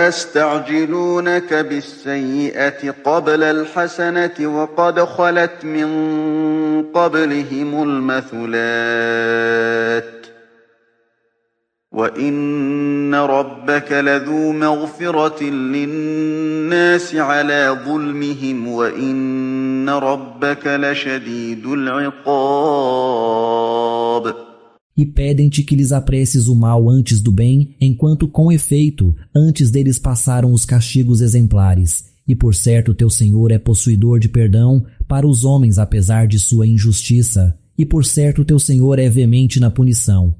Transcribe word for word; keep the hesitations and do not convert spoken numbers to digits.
ويستعجلونك بالسيئة قبل الحسنة وقد خلت من قبلهم المثلات وإن ربك لذو مغفرة للناس على ظلمهم وإن ربك لشديد العقاب. E pedem-te que lhes apresses o mal antes do bem, enquanto, com efeito, antes deles passaram os castigos exemplares. E por certo teu Senhor é possuidor de perdão para os homens apesar de sua injustiça. E por certo teu Senhor é veemente na punição.